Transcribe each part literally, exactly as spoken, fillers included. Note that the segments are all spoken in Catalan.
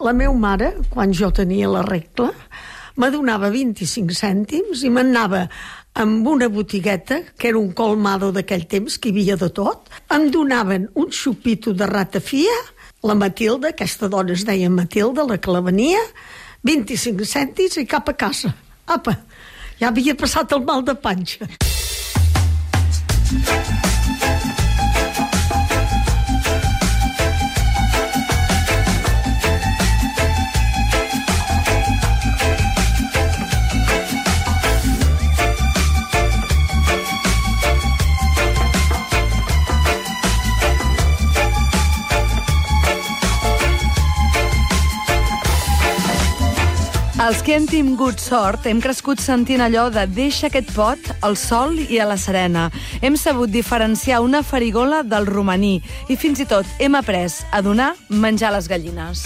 La meva mare, quan jo tenia la regla, me donava vint-i-cinc cèntims i m'anava amb una botigueta, que era un colmado d'aquell temps, que hi havia de tot. Em donaven un xupito de ratafia, la Matilda, aquesta dona es deia Matilda, la que la venia, vint-i-cinc cèntims i cap a casa. Apa, ja havia passat el mal de panxa. Els que hem tingut sort hem crescut sentint allò de deixa aquest pot al sol i a la serena. Hem sabut diferenciar una farigola del romaní i fins i tot hem après a donar menjar a les gallines.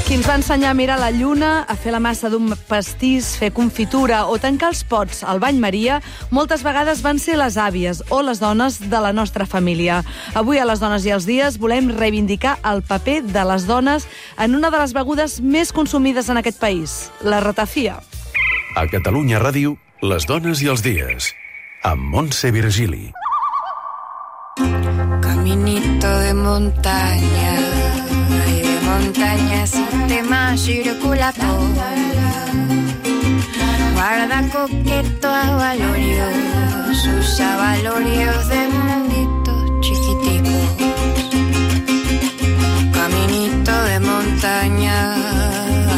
Qui ens va ensenyar a mirar la lluna, a fer la massa d'un pastís, fer confitura o tancar els pots al bany Maria, moltes vegades van ser les àvies o les dones de la nostra família. Avui, a les Dones i els Dies, volem reivindicar el paper de les dones en una de les begudes més consumides en aquest país, la ratafia. A Catalunya Ràdio, les Dones i els Dies, amb Montse Virgili. Caminito de montaña, montaña, sistema circulatorio. Guarda coqueto a valorios, usa valorios de munditos chiquiticos. Caminito de montaña,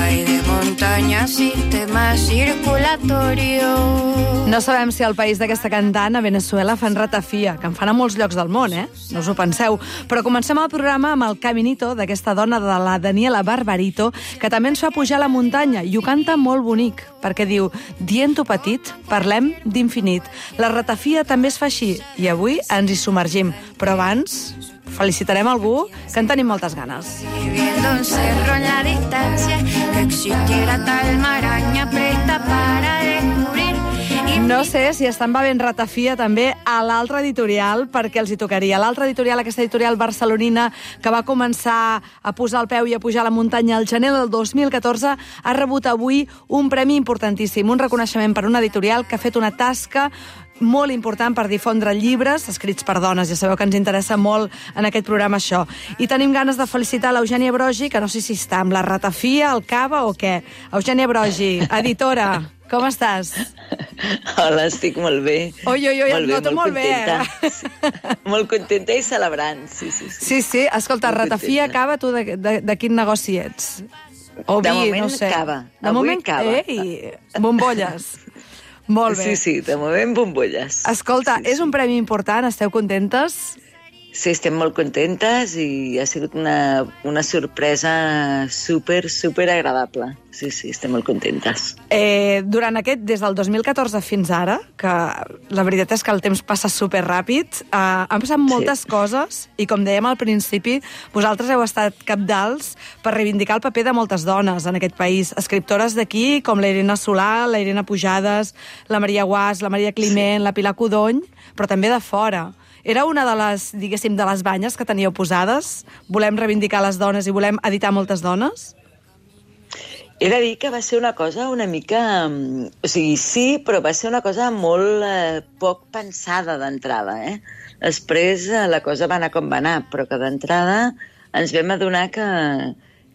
ay de montaña, sistema circulatorio. No sabem si al país d'aquesta cantant, a Venezuela, fan ratafia, que en fan a molts llocs del món, eh? No us ho penseu. Però comencem el programa amb el Caminito d'aquesta dona de la Daniela Barbarito, que també ens fa pujar a la muntanya, i ho canta molt bonic, perquè diu, dient-ho petit, parlem d'infinit. La ratafia també es fa així, i avui ens hi submergim. Però abans, felicitarem algú que en tenim moltes ganes. Viviendo un cerro en la distancia, que existiera tal maraña presta para descubrir. No sé si estan bevent ratafia també a l'altra editorial, perquè els hi tocaria. L'altra editorial, aquesta editorial barcelonina, que va començar a posar el peu i a pujar a la muntanya al gener del dos mil catorze, ha rebut avui un premi importantíssim, un reconeixement per una editorial que ha fet una tasca molt important per difondre llibres escrits per dones. Ja sabeu que ens interessa molt en aquest programa això. I tenim ganes de felicitar l'Eugènia Brogi, que no sé si està amb la ratafia, el cava o què. Eugènia Brogi, editora, com estàs? Hola, estic molt bé. Oi, oi, oi, molt et bé, noto molt, molt bé. Eh? Sí, molt contenta i celebrant, sí, sí. Sí, sí, sí. Escolta, molt ratafia, contenta. Cava, tu de, de, de quin negoci ets? O de vi, moment, no sé. cava. De Avui moment, cava. Ei, bombolles. Molt bé. Sí, sí, de moment bombolles. Escolta, sí, sí. És un premi important, esteu contentes? Sí, estem molt contentes i ha sigut una, una sorpresa super, super agradable. Sí, sí, estem molt contentes. Eh, durant aquest, des del dos mil catorze fins ara, que la veritat és que el temps passa superràpid, eh, han passat moltes sí. coses i, com dèiem al principi, vosaltres heu estat cabdals per reivindicar el paper de moltes dones en aquest país. Escriptores d'aquí, com la Irene Solà, la Irene Pujades, la Maria Guas, la Maria Climent, sí. la Pilar Codony, però també de fora. Era una de les, diguéssim, de les banyes que teníeu posades? Volem reivindicar les dones i volem editar moltes dones? He de dir que va ser una cosa una mica... O sigui, sí, però va ser una cosa molt eh, poc pensada d'entrada, eh? Després eh, la cosa va anar com va anar, però que d'entrada ens vam adonar que,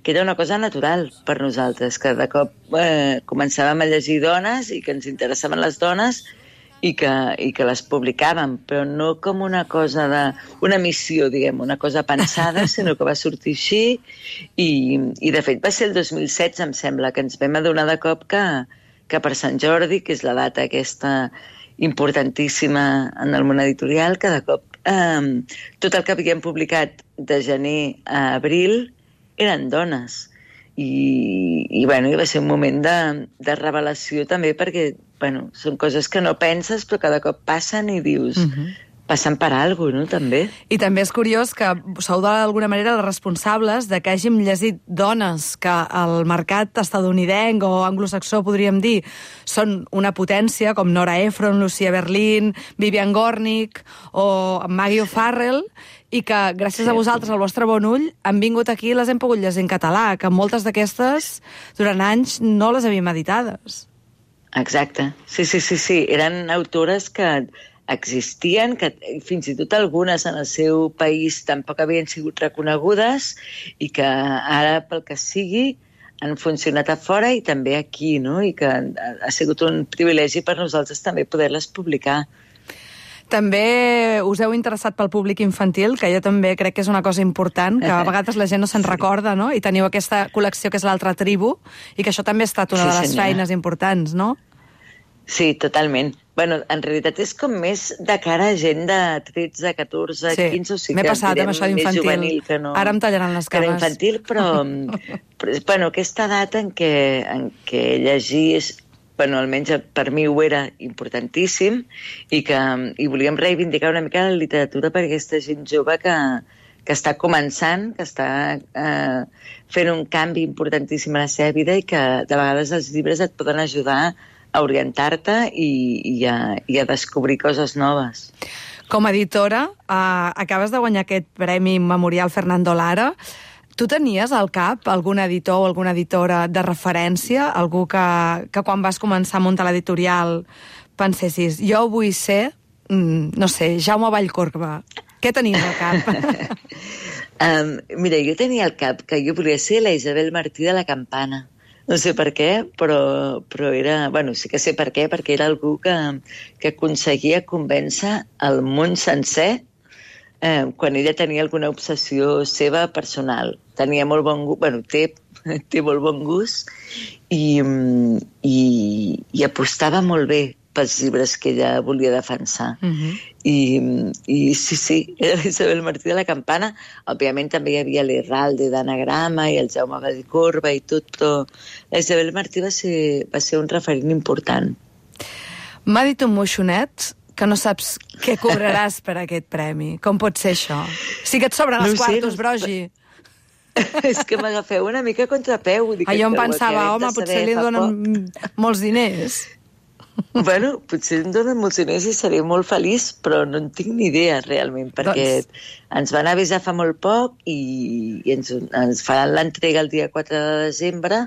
que era una cosa natural per nosaltres, que de cop eh, començàvem a llegir dones i que ens interessaven les dones i que, i que les publicàvem, però no com una cosa de... una missió, diguem, una cosa pensada, sinó que va sortir així i, i de fet va ser el dos mil setze, em sembla, que ens vam adonar de cop que, que per Sant Jordi, que és la data aquesta importantíssima en el món editorial, que de cop eh, tot el que havíem publicat de gener a abril eren dones. I, i, bueno, i va ser un moment de, de revelació també perquè, bueno, són coses que no penses però que de cop passen i dius, uh-huh. passant per alguna cosa, no?, també. I també és curiós que sou d'alguna manera els responsables de que hàgim llegit dones que al mercat estadounidenc o anglosaxó, podríem dir, són una potència, com Nora Ephron, Lucia Berlin, Vivian Gornick o Maggie O'Farrell, i que gràcies a vosaltres, al vostre bon ull, han vingut aquí i les hem pogut llegir en català, que moltes d'aquestes, durant anys, no les havíem editades. Exacte. Sí, sí, sí, sí. Eren autores que existien, que fins i tot algunes en el seu país tampoc havien sigut reconegudes i que ara, pel que sigui, han funcionat a fora i també aquí, no? I que ha sigut un privilegi per nosaltres també poder-les publicar. També us heu interessat pel públic infantil, que jo també crec que és una cosa important, que a vegades la gent no se'n recorda, no? I teniu aquesta col·lecció que és l'Altra Tribu, i que això també ha estat una sí, de les senyora. feines importants, no? Sí, totalment. Bueno, en realitat és com més de cara a gent de tretze, catorze, sí, quinze, o sigui m'he passat amb això d'infantil. No, ara em tallaran les cames. Que infantil, però, però bueno, aquesta edat en què, en què llegir és, bueno, almenys per mi ho era importantíssim, i que i volíem reivindicar una mica la literatura per aquesta gent jove que, que està començant, que està eh, fent un canvi importantíssim a la seva vida i que de vegades els llibres et poden ajudar a orientar-te i, i, a, i a descobrir coses noves. Com a editora, eh, acabes de guanyar aquest Premi Memorial Fernando Lara. Tu tenies al cap algun editor o alguna editora de referència? Algú que, que quan vas començar a muntar l'editorial pensessis, jo vull ser, mm, no sé, Jaume Vallcorba. Què tenies al cap? um, mira, jo tenia al cap que jo volia ser la Isabel Martí de la Campana. No sé per què, però, però era... Bueno, sí que sé per què, perquè era algú que, que aconseguia convèncer el món sencer eh, quan ella tenia alguna obsessió seva personal. Tenia molt bon gust, bueno, té, té molt bon gust i, i, i apostava molt bé pels llibres que ella volia defensar. Uh-huh. I, I sí, sí, era Isabel Martí de la Campana. Òbviament també hi havia l'Herralde d'Anagrama i el Jaume Vallcorba i tot, però la Isabel Martí va ser, va ser un referent important. M'ha dit un moixonet que no saps què cobraràs per aquest premi. Com pot ser això? Sí que et sobren els no quartos, sé, Brogi. És que m'agafeu una mica a contrapeu. Ah, jo em pensava, home, potser li donen molts diners. Bueno, potser em donen molts diners i seré molt feliç, però no en tinc ni idea realment, perquè doncs... ens van avisar fa molt poc i, i ens, ens faran l'entrega el dia quatre de desembre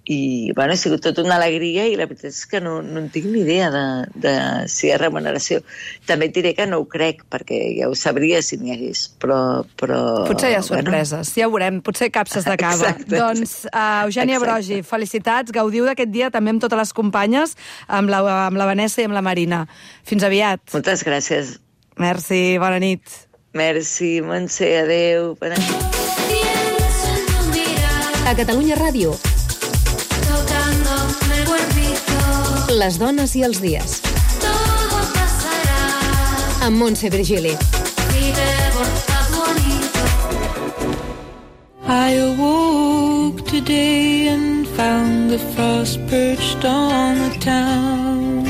i bueno, ha sigut tota una alegria i la veritat és que no, no en tinc ni idea de, de si hi ha remuneració. També et diré que no ho crec, perquè ja ho sabria si n'hi hagués, però... però potser hi ha sorpreses, bueno. Ja ho veurem, potser capses de cava. Exacte. Doncs, uh, Eugènia Exacte. Brogi, felicitats, gaudiu d'aquest dia també amb totes les companyes, amb la, amb la Vanessa i amb la Marina. Fins aviat. Moltes gràcies. Merci, bona nit. Merci, Montse, adeu. Bona nit. A Catalunya Ràdio, les dones i els dies. Amb Montse Virgili. I awoke today and found the frost perched on the town.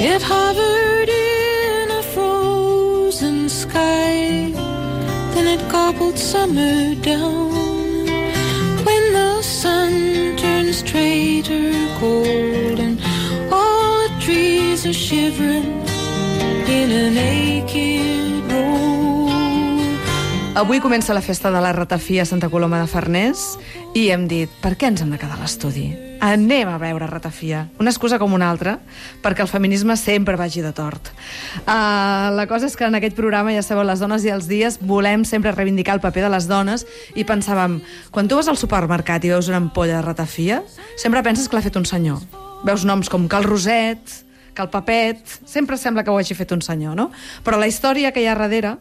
It hovered in a frozen sky, then it gobbled summer down. When the sun turns traitor cold and all the trees are shivering in a naked road. Avui comença la festa de la ratafia a Santa Coloma de Farners i hem dit, per què ens hem de quedar a l'estudi? Anem a veure ratafia. Una excusa com una altra, perquè el feminisme sempre vagi de tort. Uh, la cosa és que en aquest programa, ja sabeu, les dones i els dies, volem sempre reivindicar el paper de les dones i pensàvem, quan tu vas al supermercat i veus una ampolla de ratafia, sempre penses que l'ha fet un senyor. Veus noms com Cal Roset, Cal Papet, sempre sembla que ho hagi fet un senyor, no? Però la història que hi ha darrere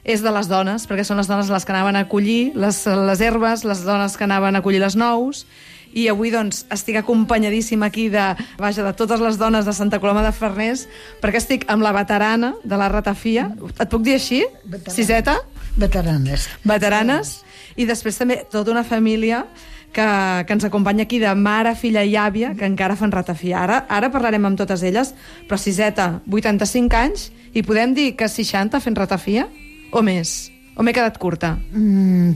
és de les dones, perquè són les dones les que anaven a collir les, les herbes, les dones que anaven a collir les nous, i avui doncs estic acompanyadíssima aquí de, vaja, de totes les dones de Santa Coloma de Farners, perquè estic amb la veterana de la ratafia. Et puc dir així? Veterana. Siseta? Veteranes. Veteranes. I després també tota una família que, que ens acompanya aquí de mare, filla i àvia, que encara fan ratafia. Ara, ara parlarem amb totes elles, però siseta, vuitanta-cinc anys, i podem dir que seixanta fent ratafia? O més? O m'he quedat curta? Mm,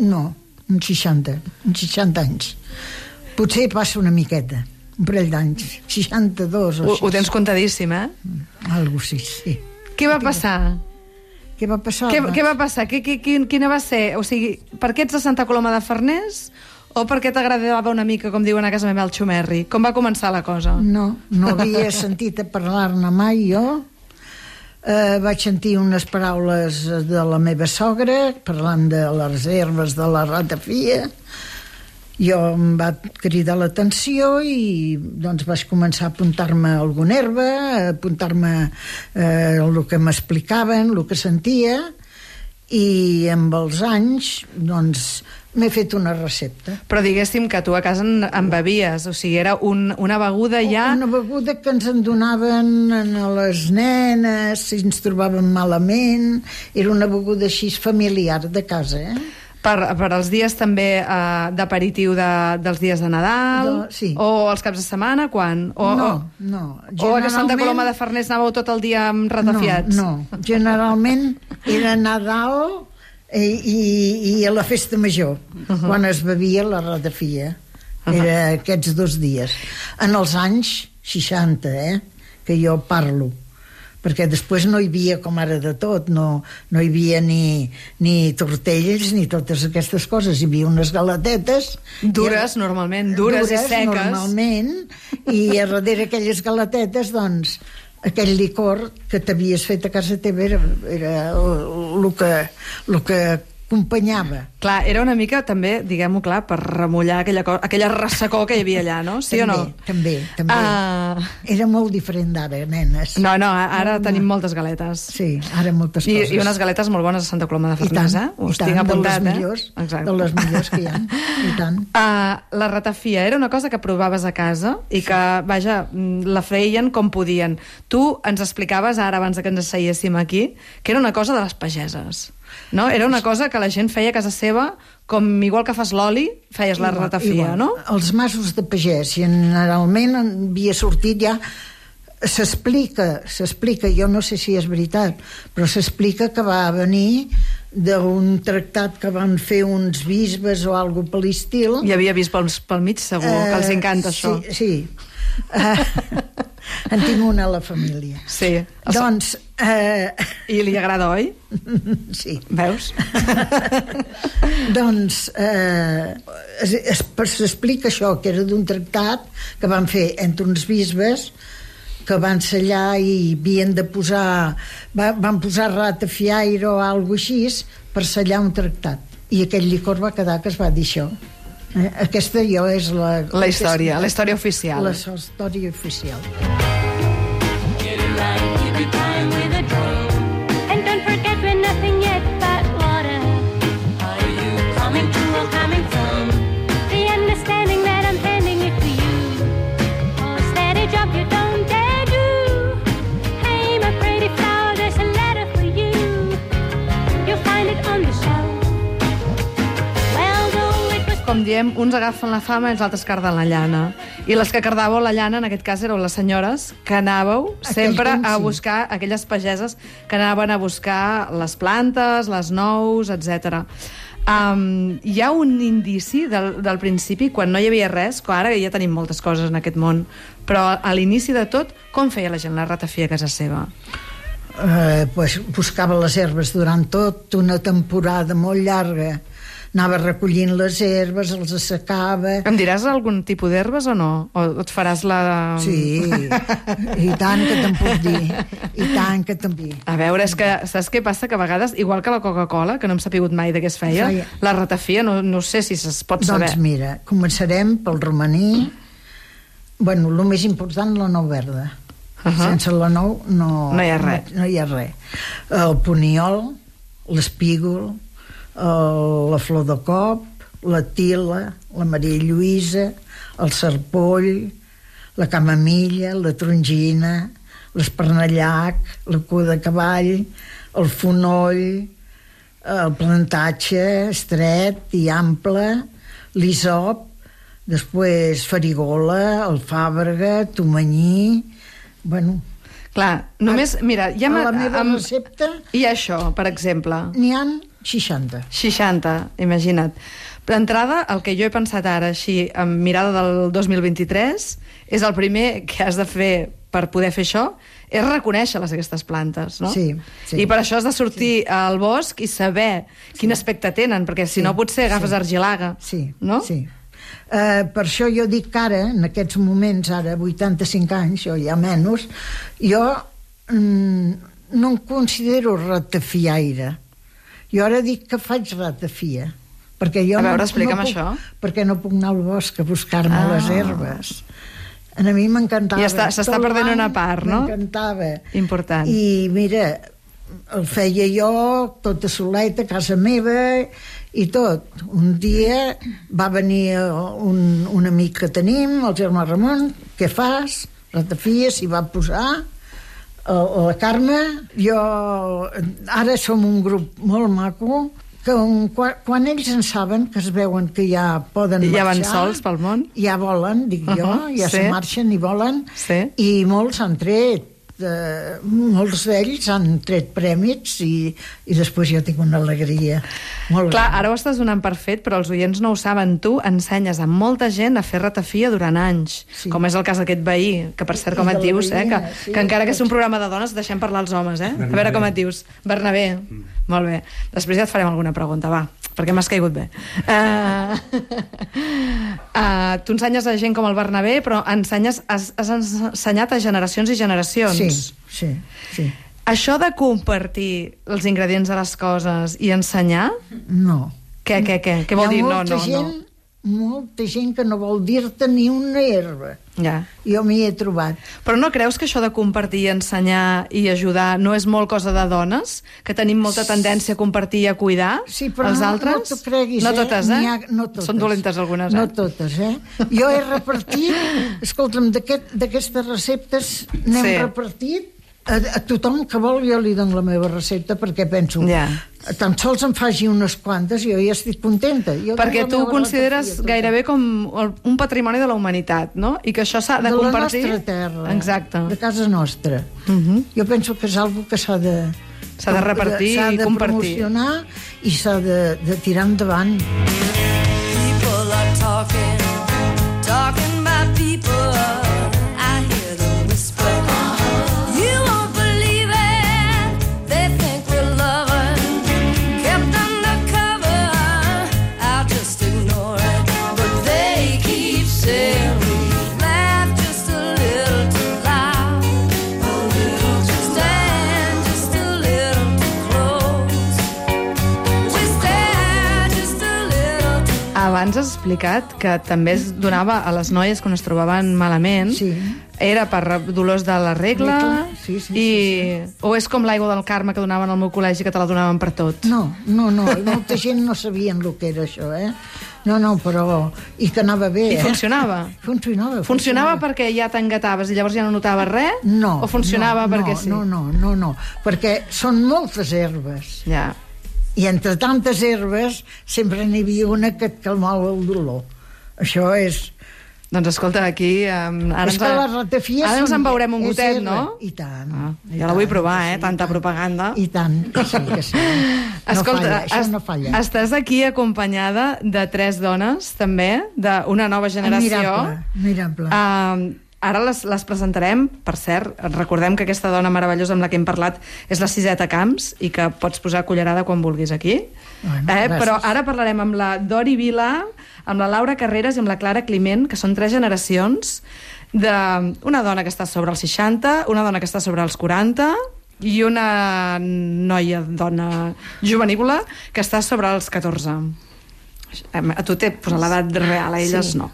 no, uns seixanta, uns seixanta anys. Potser passa una miqueta, un parell d'anys, seixanta-dos o Ho, ho tens comptadíssim, eh? Algo sí, sí. Què va passar? Què va passar? Què, què va passar? Què, què, quina va ser? O sigui, per què ets de Santa Coloma de Farners o per què t'agradava una mica, com diuen a casa meva, el xumerri? Com va començar la cosa? No, no havia sentit a parlar-ne mai jo. Eh, vaig sentir unes paraules de la meva sogra parlant de les herbes de la ratafia. Jo em va cridar l'atenció i doncs vaig començar a apuntar-me alguna herba, a apuntar-me eh, el que m'explicaven, el que sentia, i amb els anys doncs m'he fet una recepta. Però diguéssim que tu a casa en, en bevies, o sigui, era un, una beguda ja... Una beguda que ens en donaven a les nenes, si ens trobaven malament, era una beguda així familiar de casa, eh? Per, per als dies també eh, d'aperitiu de, dels dies de Nadal, de, sí. O els caps de setmana, quan? O, no, o, no. O a Santa Coloma de Farners anàveu tot el dia amb ratafiats? No, no. Generalment era Nadal i, i, i a la festa major, uh-huh. quan es bevia la ratafia. Uh-huh. Era aquests dos dies. En els anys seixanta, eh, que jo parlo, perquè després no hi havia com ara de tot, no, no hi havia ni, ni tortells ni totes aquestes coses, hi havia unes galatetes dures, i, normalment, dures, dures i seques normalment, i a darrere aquelles galatetes doncs aquell licor que t'havies fet a casa teva era, era el que, el que acompanyava. Clar, era una mica també, diguem-ho clar, per remullar aquella, cosa, aquella ressecó que hi havia allà, no? Sí també, o no? També, també. Uh... Era molt diferent d'ara, nenes. No, no, ara no, tenim no. moltes galetes. Sí, ara moltes I, coses. I unes galetes molt bones a Santa Coloma de Farners, eh? Us tant, tinc apuntat, de les millors, eh? Exacte. De les millors que hi ha, i tant. Uh, la ratafia era una cosa que provaves a casa i que, vaja, la feien com podien. Tu ens explicaves ara, abans que ens asseiéssim aquí, que era una cosa de les pageses. No? Era una cosa que la gent feia a casa seva, com igual que fas l'oli, feies la ratafia, no? Els masos de pagès, generalment havia sortit ja... S'explica, s'explica, jo no sé si és veritat, però s'explica que va venir d'un tractat que van fer uns bisbes o alguna cosa per l'estil. Hi havia bisbes pel mig, segur, uh, que els encanta sí, això. Sí, uh, en tinc una a la família. Sí. Doncs... Uh, I li agrada, oi? Sí. Veus? Doncs uh, s'explica això, que era d'un tractat que van fer entre uns bisbes que van sellar i havien de posar va, van posar ratafiaire o alguna cosa així per sellar un tractat, i aquell licor va quedar que es va dir això, eh? Aquesta jo és la la història, la història oficial, la història oficial. Get it right, keep it time with a drum. And don't forget we're nothing yet but water. Are you coming to or coming from? The understanding that I'm handing it to you. Oh, steady job you don't dare do. Hey, my pretty flower, there's a letter for you. You'll find it on the shelf. Well, though it was... Com diem, uns agafen la fama i els altres carden la llana. I les que cardàveu la llana, en aquest cas, éreu les senyores que anàveu sempre a buscar, aquelles pageses que anaven a buscar les plantes, les nous, etcètera. Um, hi ha un indici del, del principi, quan no hi havia res, que ara ja tenim moltes coses en aquest món, però a l'inici de tot, com feia la gent la ratafia a casa seva? Eh, pues, buscava les herbes durant tot una temporada molt llarga, anava recollint les herbes, els assecava. Em diràs algun tipus d'herbes o no? O et faràs la... Sí, i tant que te'n puc dir, i tant que te'n puc dir. A veure, és que saps què passa? Que a vegades, igual que la Coca-Cola, que no hem sapigut mai de què es feia, feia. La ratafia, no, no sé si es pot saber. Doncs mira, començarem pel romaní. Bueno, el més important, la nou verda. Uh-huh. Sense la nou no, no hi ha res. No, no hi ha res. El poniol, l'espígol, el, la flor de cop, la tila, la Maria Lluïsa, el serpoll, la camamilla, la trongina, l'espernallac, la cua de cavall, el fonoll, el plantatge estret i ample, l'Isop, després Farigola, el Fàbrega, Tomanyí... Bueno... Clar, només... Mira, ja a la meva amb, recepta... I això, per exemple? N'hi ha seixanta. seixanta, imagina't. D'entrada, el que jo he pensat ara, així, amb mirada del dos mil vint-i-tres, és el primer que has de fer per poder fer això, és reconèixer-les, aquestes plantes, no? Sí, sí. I per això has de sortir sí. al bosc i saber sí. quin aspecte tenen, perquè si sí. no potser agafes sí. argilaga, sí. no? Sí. Uh, per això jo dic que ara, en aquests moments, ara vuitanta-cinc anys, o ja menys, jo mm, no em considero ratafiaire. Jo ara dic que faig ratafia. Perquè jo a veure, no, explica'm no puc, això. Perquè no puc anar al bosc a buscar-me Ah. les herbes. A mi m'encantava. I està- s'està Tot perdent l'any una part, no? M'encantava. Important. I mira, el feia jo tota soleta a casa meva i tot. Un dia va venir un, un amic que tenim, el Germà Ramon, què fas? Ratafia, s'hi va posar, la Carme. Jo, ara som un grup molt maco, que un, quan, quan ells en saben, que es veuen que ja poden ja marxar... van sols pel món? Ja volen, dic uh -huh, jo, ja sí. se marxen i volen, sí. i molts han tret, eh, molts d'ells han tret prèmits i, i després jo tinc una alegria molt Clar, gran. ara ho estàs donant per fet, però els oients no ho saben. Tu ensenyes a molta gent a fer ratafia durant anys, Sí. com és el cas d'aquest veí, que per cert, com I et de la dius, eh, que, veïna, sí, que encara que és un tots. programa de dones, deixem parlar els homes, eh? A veure com et dius. Bernabé. Mm. Molt bé. Després ja et farem alguna pregunta, va, perquè m'has caigut bé. Uh, uh, tu ensenyes a gent com el Bernabé, però ensenyes, has, has ensenyat a generacions i generacions. Sí, sí, sí. Això de compartir els ingredients de les coses i ensenyar, No. què, què, què? Què vol Hi ha dir? No, molta no, gent, no. molta gent que no vol dir-te ni una herba. Ja. Jo m'hi he trobat. Però no creus que això de compartir, ensenyar i ajudar no és molt cosa de dones? Que tenim molta tendència a compartir i a cuidar Sí, però els no, altres? no t'ho creguis, no eh? totes, eh? N'hi ha, no totes. Són dolentes algunes, eh? No totes, eh? Jo he repartit, escolta'm, d'aquest- d'aquestes receptes n'hem Sí. repartit a, a tothom que vol. Jo li dono la meva recepta perquè penso, Ja. tan sols em faci unes quantes, jo ja estic contenta. Jo Perquè tinc la tu ho meva consideres ratafia, tota. gairebé com el- un patrimoni de la humanitat, no? I que això s'ha de, de compartir... la nostra terra, Exacte. de casa nostra. Uh -huh. Jo penso que és algo que s'ha de... S'ha de repartir s'ha i de compartir. promocionar i s'ha de, de tirar endavant. People are talking, talking about people. I hear them whisper. You won't believe it. They think we're loving, kept undercover. I'll just ignore it, but they keep saying we laugh just a little too loud, stand just a little too close. We stand just a little too Abans has explicat que també es donava a les noies quan es trobaven malament. Sí. Era per dolors de la regla, Regla, sí, sí, i... sí, o és com l'aigua del Carme que donaven al meu col·legi, que te la donaven per tot. No, no, no, molta gent no sabien el que era això, eh? No, no, però... I que anava bé, I eh? funcionava? Funcionava, Funcionava perquè ja t'engataves i llavors ja no notaves res? No. O funcionava no, perquè no, sí? No, no, no, no, perquè són moltes herbes. Ja. I entre tantes herbes sempre n'hi havia una que et calmava el dolor. Això és... Doncs escolta, aquí... Um, ara és ens, que les ratafies ara ens són- en veurem un és gotet, herba. no? I tant. Ah, i ja la vull tant, provar, que eh? sí, Tanta i tant. propaganda. I tant, que sí, que sí. No Escolta, falla, això est- no falla. estàs aquí acompanyada de tres dones, també, d'una nova generació. Admirable, admirable. Uh, ara les, les presentarem. Per cert, recordem que aquesta dona meravellosa amb la que hem parlat és la Siseta Camps i que pots posar cullerada quan vulguis aquí. Bueno, eh? gràcies. Però ara parlarem amb la Dori Vila, amb la Laura Carreras i amb la Clara Climent, que són tres generacions d'una dona que està sobre els seixanta, una dona que està sobre els quaranta i una noia, dona jovenívola, que està sobre els catorze. A tu t'he posat l'edat real, a elles Sí. no.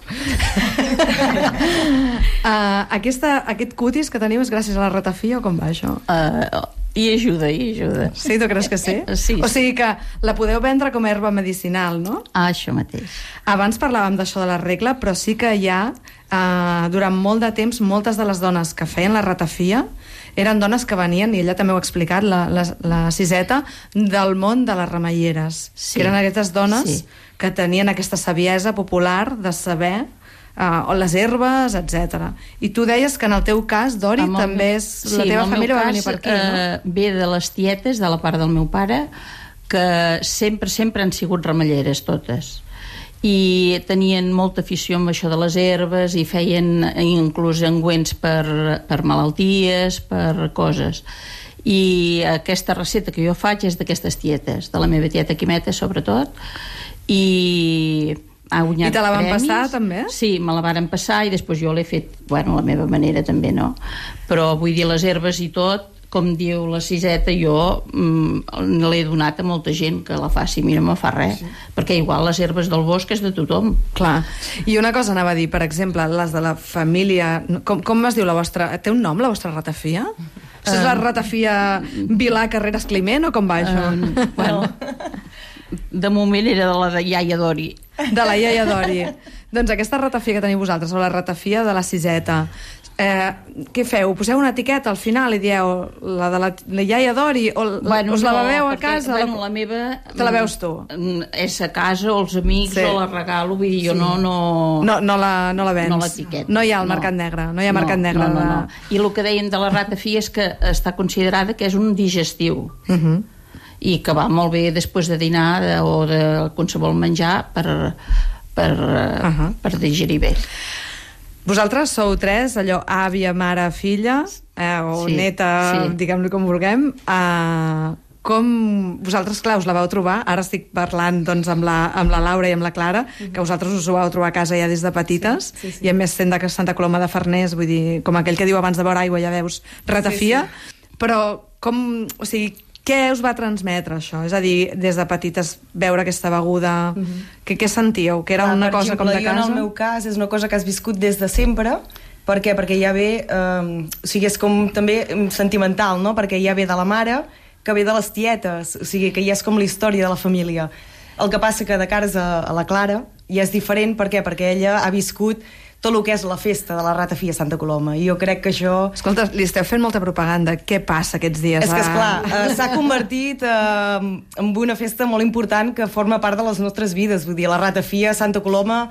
uh, aquesta, aquest cutis que teniu és gràcies a la ratafia o com va això? Uh, I ajuda, i ajuda. Sí, tu creus que sí? Sí. O sigui que la podeu vendre com a herba medicinal, no? Ah, això mateix. Abans parlàvem d'això de la regla, però sí que hi ha, eh, durant molt de temps, moltes de les dones que feien la ratafia eren dones que venien, i ella també ho ha explicat, la, la, la Siseta, del món de les remeieres. Sí. Que eren aquestes dones Sí. que tenien aquesta saviesa popular de saber uh, les herbes, etcètera. I tu deies que en el teu cas, Dori, Amb el també meu- és... sí, la teva en el família meu va venir cas, per aquí, no? eh, ve de les tietes, de la part del meu pare, que sempre, sempre han sigut remelleres totes. I tenien molta afició amb això de les herbes i feien inclús engüents per, per malalties, per coses. I aquesta recepta que jo faig és d'aquestes tietes, de la meva tieta Quimeta sobretot, i ha guanyat I te la van premis. passar, també? Sí, me la varen passar i després jo l'he fet, bueno, a la meva manera també, no? Però vull dir, les herbes i tot, com diu la Siseta, jo mm, l'he donat a molta gent que la faci, mira, no me fa res, sí. Perquè igual les herbes del bosc és de tothom. Clar. I una cosa anava a dir, per exemple, les de la família... Com, com es diu la vostra... Té un nom, la vostra ratafia? Uh, és la ratafia Vilà Carreras Climent o com va això? Uh, bueno, de moment era de la de iaia Dori. De la iaia Dori. Doncs aquesta ratafia que teniu vosaltres, o la ratafia de la Siseta, eh, què feu? Poseu una etiqueta al final i dieu la de la, la iaia Dori, o Bueno, us la no, beveu a perquè, casa? Bueno, la meva... Te la veus tu? És a casa, o els amics, Sí. o la regalo, vull dir, jo Sí. no... No, No, no la, no la vens. no l'etiqueta. No hi ha al mercat negre, no hi ha mercat negre. No, no, de- no. I el que deien de la ratafia és que està considerada que és un digestiu. Uh -huh. I que va molt bé després de dinar de, o de qualsevol menjar per, per, uh Ahà. per digerir bé. Vosaltres sou tres, allò, àvia, mare, filla, eh, o Sí, neta, sí. diguem-li com vulguem. Eh, com vosaltres, clar, us la vau trobar? Ara estic parlant doncs, amb, la, amb la Laura i amb la Clara, que vosaltres us ho vau trobar a casa ja des de petites, sí, sí, sí. I a més sent de Santa Coloma de Farners, vull dir, com aquell que diu abans de veure aigua ja veus ratafia, sí, sí. Però com, o sigui, què us va transmetre això? És a dir, des de petites veure aquesta beguda, uh -huh. que, què sentíeu? Que era Clar, una per cosa exemple, com de casa? Jo en el meu cas és una cosa que has viscut des de sempre. Per què? Perquè ja ve, eh, o sigui, és com també sentimental, no? Perquè ja ve de la mare, que ve de les tietes, o sigui, que ja és com la història de la família. El que passa que de cares a, a la Clara ja és diferent, per què? Perquè ella ha viscut tot el que és la festa de la ratafia a Santa Coloma, i jo crec que això... Escolta, li esteu fent molta propaganda. Què passa aquests dies? És que, a- esclar, eh, s'ha convertit eh, en una festa molt important que forma part de les nostres vides. Vull dir, la ratafia a Santa Coloma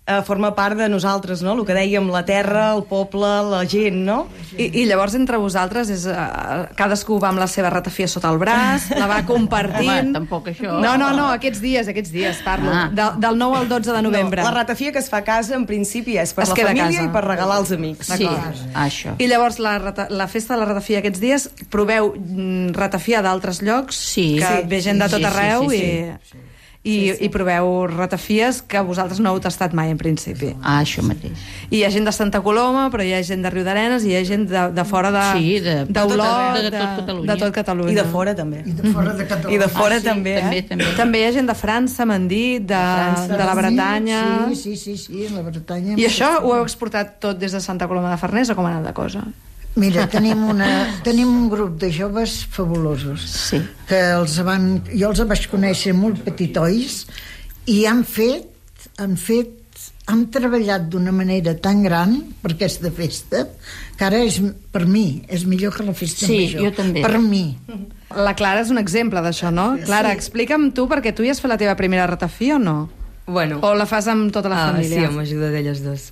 eh, forma part de nosaltres, no? El que dèiem, la terra, el poble, la gent, no? I, I llavors entre vosaltres és, uh, cadascú va amb la seva ratafia sota el braç, la va compartint... Home, tampoc això. No, no, no, aquests dies, aquests dies, parlo. Ah. De, del nou al dotze de novembre. No, la ratafia que es fa a casa, en principi, és per Es la queda a família casa. i per regalar als amics. Sí, això. I llavors la, rata, la festa de la ratafia aquests dies, proveu mm, ratafia d'altres llocs, Sí. que Sí. ve gent de Sí, tot sí, arreu sí, sí, i... I, i proveu ratafies que vosaltres no heu tastat mai en principi. Ah, això mateix. I hi ha gent de Santa Coloma, però hi ha gent de Riudarenes i hi ha gent de, de fora de, Sí, de- d'Olot, de- de de, tot Catalunya. de tot Catalunya. I de fora, també. I de fora de Catalunya. I de fora, Ah, sí, també, eh? també, també. També hi ha gent de França, m'han dit, de, de, la Bretanya... Sí, sí, sí, sí, la Bretanya. I això ho heu exportat tot des de Santa Coloma de Farners o com ha anat la cosa? Mira, tenim, una, tenim un grup de joves fabulosos. Sí. Que els van, jo els vaig conèixer molt petitois i han fet, han fet, han treballat d'una manera tan gran per aquesta festa que ara és, per mi, és millor que la festa Sí, major. jo també. Per mi. La Clara és un exemple d'això, no? Clara, explica'm tu, perquè tu ja has fet la teva primera ratafia o no? Bueno. O la fas amb tota la Ah, família? sí, amb ajuda d'elles dos.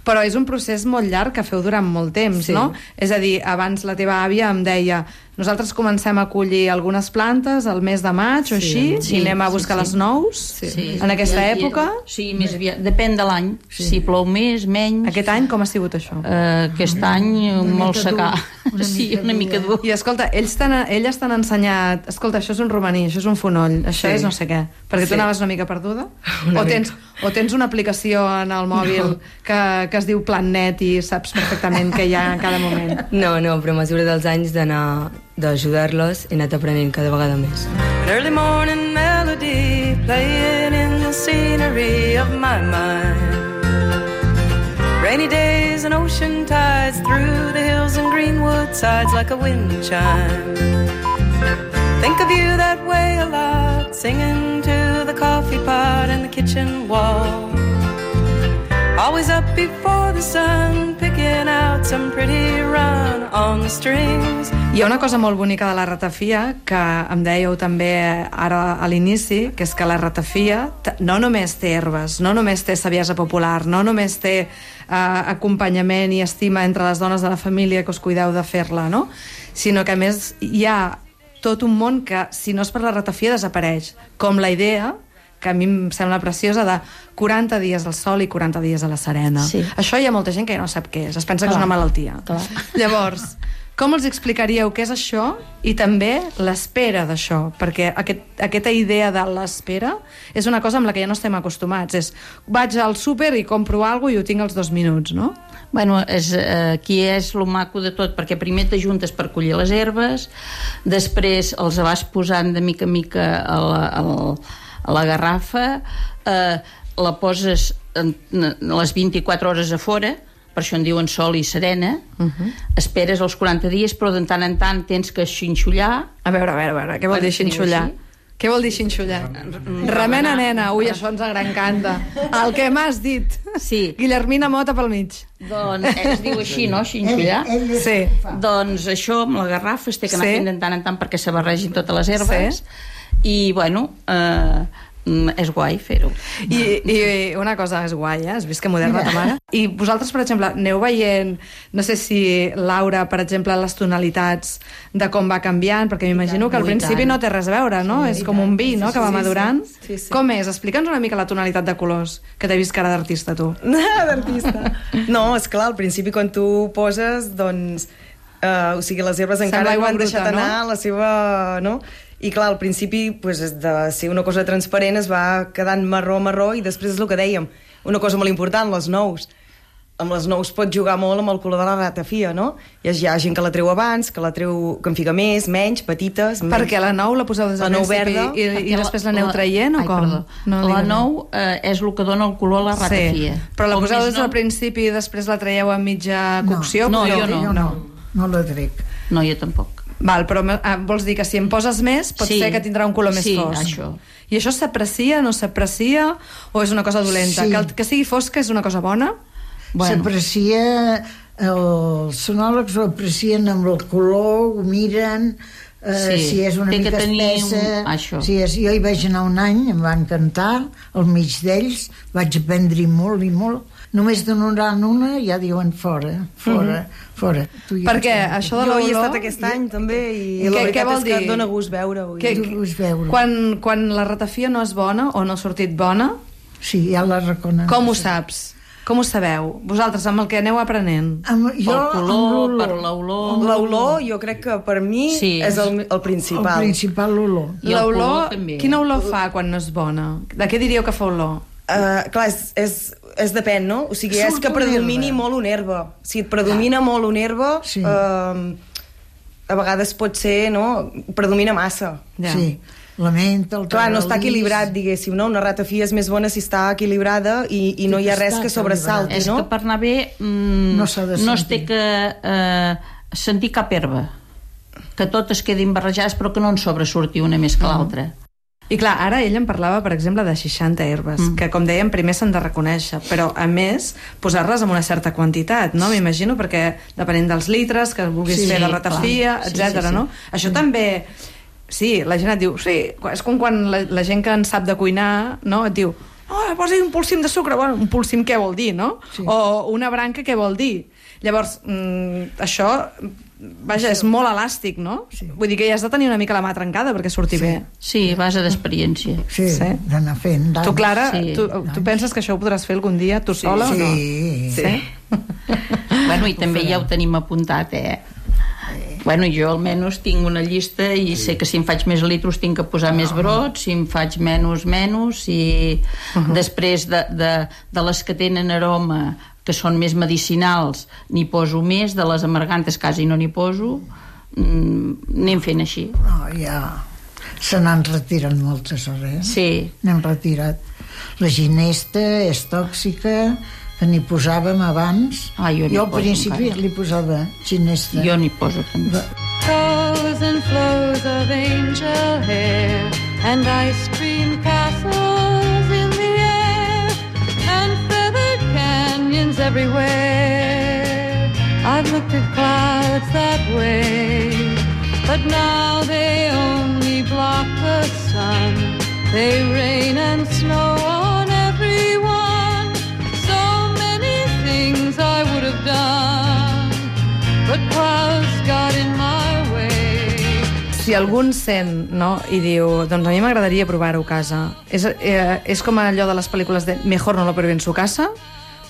Però és un procés molt llarg que feu durant molt temps, Sí. no? És a dir, abans la teva àvia em deia nosaltres comencem a collir algunes plantes al mes de maig o així, Sí, i anem a buscar sí, les sí. nous Sí. en aquesta I- i- època. Sí, més aviat. Depèn de l'any. Sí. Si plou més, menys. Aquest any com ha sigut això? Uh, aquest any molt mica dur, secà. una Sí, mica una mica dur. I escolta, ells t'han, elles t'han ensenyat escolta, això és un romaní, això és un fonoll, això Sí. és no sé què, perquè tu Sí. anaves una mica perduda? Una o, tens, mica. o tens una aplicació en el mòbil No. que, que es diu Plannet i saps perfectament què hi ha en cada moment? No, no, però a mesura dels anys d'anar d'ajudar-los he anat aprenent cada vegada més. An early morning melody playing in the scenery of my mind. Rainy days and ocean tides through the hills and greenwood sides like a wind chime. Think of you that way a lot, singing to the coffee pot and the kitchen wall. Always up before the sun, picking out some pretty run on the strings. Hi ha una cosa molt bonica de la ratafia que em dèieu també ara a l'inici, que és que la ratafia no només té herbes, no només té saviesa popular, no només té eh, acompanyament i estima entre les dones de la família que us cuideu de fer-la, no? Sinó que a més hi ha tot un món que, si no és per la ratafia, desapareix. Com la idea, que a mi em sembla preciosa, de quaranta dies al sol i quaranta dies a la serena. Sí. Això hi ha molta gent que ja no sap què és, es pensa que és una malaltia. Clar. Llavors, com els explicaríeu què és això i també l'espera d'això? Perquè aquest, aquesta idea de l'espera és una cosa amb la que ja no estem acostumats. És, vaig al súper i compro alguna cosa i ho tinc als dos minuts, no? Bueno, és, eh, aquí és lo maco de tot, perquè primer t'ajuntes per collir les herbes, després els vas posant de mica en mica a la, a la, a la garrafa, eh, la poses en, en les vint-i-quatre hores a fora, per això en diuen sol i serena, uh-huh. Esperes els quaranta dies, però de tant en tant tens que xinxollar. A veure, a veure, a veure, què vol dir xinxollar? Què vol dir xinxollar? Remena, nena, ui, això ens encanta. El que m'has dit. Sí. Guillermina Mota pel mig. Doncs es diu així, no? Xinxollar? Sí. Doncs això, amb la garrafa, es té que anar Sí. fent de tant en tant perquè se barregin totes les herbes. I, bueno, eh, és guai fer-ho. I, I una cosa és guai, eh? Has vist que moderna ta mare? I vosaltres, per exemple, aneu veient, no sé si, Laura, per exemple, les tonalitats de com va canviant, perquè m'imagino que al Ui, principi tant. no té res a veure, no? Sí, És i com un tant. vi, no?, Sí, que va sí, madurant. sí. Sí, sí. Com és? Explica'ns una mica la tonalitat de colors, que t'he vist cara d'artista, tu. D'artista. No, és clar, al principi quan tu poses, doncs, eh, o sigui, les herbes Sembla encara no aigua han bruta, deixat no? anar la seva... No? I clar, al principi, pues, de ser una cosa transparent es va quedant marró-marró i després és el que dèiem, una cosa molt important, les nous. Amb les nous pots jugar molt amb el color de la ratafia, no? Hi ha, hi ha gent que la treu abans, que la treu, que en fica més, menys, petites... Menys. Perquè la nou la poseu des del La nou principi verda, i, i Perquè després l'aneu traient, o ai, com? perdó. No, la digues. nou eh, és el que dona el color a la ratafia. Sí, però la Com poseu més des del nou- principi i després la traieu a mitja cocció? No, podeu jo dir? no. Jo no, no la trec. No, jo tampoc. Val, però eh, vols dir que si en poses més pot Sí. ser que tindrà un color més Sí, fosc. això. I això s'aprecia, no s'aprecia, o és una cosa dolenta? Sí. Que, el, que sigui fosca és una cosa bona? Bueno. S'aprecia, els sonòlegs ho aprecien amb el color, ho miren, eh, Sí, si és una té que mica tenir espessa... un- això. Si és, jo hi vaig anar un any, em van cantar, al mig d'ells, vaig aprendre molt i molt. Només donaran una ja diuen fora, fora, Mhm. fora. Tu ja Perquè saps. això de Jo hi he l'olor... estat aquest any, també, i Què- la què veritat vol és que dir? dona gust veure-ho. Que, Dona gust veure. quan, quan la ratafia no és bona o no ha sortit bona, Sí, ja la reconec. com ho saps? Com ho sabeu? Vosaltres, amb el que aneu aprenent? Amb, jo, Pel color, amb per l'olor... L'olor, jo crec que per mi Sí. és el, el El principal. principal olor. I el L'olor, color també. quina olor fa quan no és bona? De què diríeu que fa olor? Uh, clar, és, és, és depèn, no? O sigui, és Surt que una predomini herba. molt una herba. Si et predomina molt una herba, Sí. uh, a vegades pot ser, no? Predomina massa. Ja. Sí, la menta, el Clar, no està tagalís. equilibrat, diguéssim, no? Una ratafia és més bona si està equilibrada i, i no hi ha res que sobresalti, És no? que per anar bé mm, No s'ha de no es sentir. té que eh, sentir cap herba, que totes quedin barrejades però que no en sobresurti una més que l'altra. I clar, ara ell em parlava, per exemple, de seixanta herbes, mm. que, com dèiem, primer s'han de reconèixer, però, a més, posar-les en una certa quantitat, no? M'imagino, perquè depenent dels litres que vulguis Sí, fer de clar. ratafia, Sí, etcètera, sí, sí. no? Això també... Sí, la gent et diu... Sí, és com quan la, la gent que en sap de cuinar, no? Et diu... Oh, posi un polsim de sucre. Bueno, un polsim què vol dir, no? Sí. O una branca què vol dir? Llavors, mm, això... Vaja, és molt elàstic, no? Sí. Vull dir que ja has de tenir una mica la mà trencada perquè surti bé. Sí, a base d'experiència. Sí, Sí. d'anar fent. d'anys. Tu, Clara, Sí. tu, tu penses que això ho podràs fer algun dia tu sola o no? Sí, Sí? Bueno, i també ja ho tenim apuntat, eh? Bueno, jo almenys tinc una llista i sé que si em faig més litros tinc que posar més brots, si em faig menys, menys, i després de, de, de les que tenen aroma, que són més medicinals, n'hi poso més, de les amargantes quasi no n'hi poso, mm, anem fent així. No, ja se n'han retirat moltes, eh? Sí. N'hem retirat. La ginesta és tòxica, que n'hi posàvem abans. Ah, jo n'hi jo al poso principi encara. li posava ginesta. Jo n'hi poso també. Va- toes and flows of angel hair, and ice cream castles in the air, and feathered canyons everywhere. I've looked at clouds that way, but now they only block the sun. They rain and snow on everyone. So many things I would have done, but clouds got in my way. Si algú en sent, no?, i diu, doncs a mi m'agradaria provar-ho a casa. És, eh, és com allò de les pel·lícules de Mejor no lo pruebe en su casa.